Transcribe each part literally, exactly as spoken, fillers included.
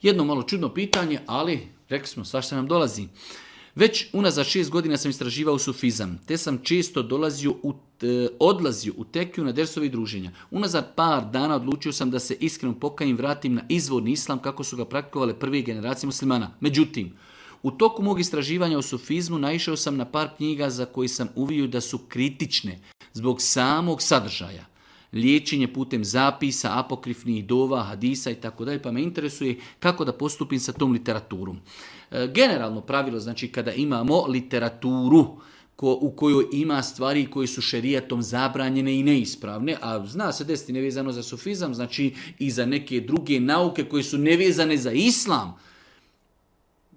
Jedno malo čudno pitanje, ali rekli smo, svašta nam dolazi. Već unazad šest godina sam istraživao sufizam, te sam često dolazio u, e, odlazio u tekiju na dersovi druženja. Unazad par dana odlučio sam da se iskreno pokajim, vratim na izvorni islam kako su ga praktikovale prve generacije muslimana. Međutim, u toku mog istraživanja o sufizmu naišao sam na par knjiga za koje sam uvio da su kritične zbog samog sadržaja. Liječenje putem zapisa, apokrifnih dova, hadisa i tako dalje, pa me interesuje kako da postupim sa tom literaturom. E, generalno pravilo, znači kada imamo literaturu ko, u kojoj ima stvari koje su šerijatom zabranjene i neispravne, a zna se desiti nevezano za sufizam, znači i za neke druge nauke koje su nevezane za islam.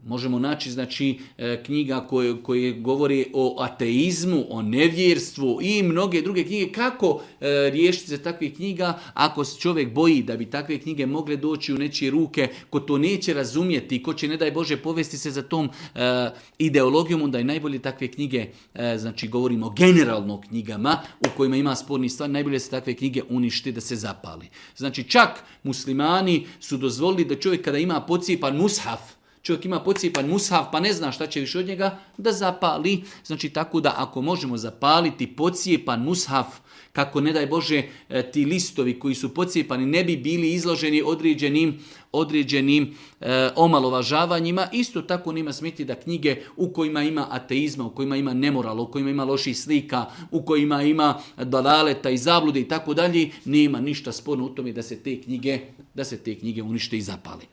Možemo naći znači, knjiga koje, koje govori o ateizmu, o nevjerstvu i mnoge druge knjige. Kako e, riješiti se takvih knjiga ako se čovjek boji da bi takve knjige mogle doći u nečije ruke, ko to neće razumjeti, ko će ne daj Bože povesti se za tom e, ideologijom, onda je najbolje takve knjige, e, znači govorimo generalno o knjigama u kojima ima sporni stvar, najbolje se takve knjige uništi da se zapali. Znači čak muslimani su dozvolili da čovjek kada ima pocijepan mushaf, čovjek ima pocijepan mushaf pa ne zna šta će više od njega, da zapali. Znači tako da ako možemo zapaliti pocijepan mushaf, kako ne daj Bože ti listovi koji su pocijepani ne bi bili izloženi određenim, određenim e, omalovažavanjima, isto tako nema smeti da knjige u kojima ima ateizma, u kojima ima nemorala, u kojima ima loših slika, u kojima ima dalaleta i zablude i tako dalje, nema ništa sporno u tome da se te knjige, da se te knjige unište i zapali.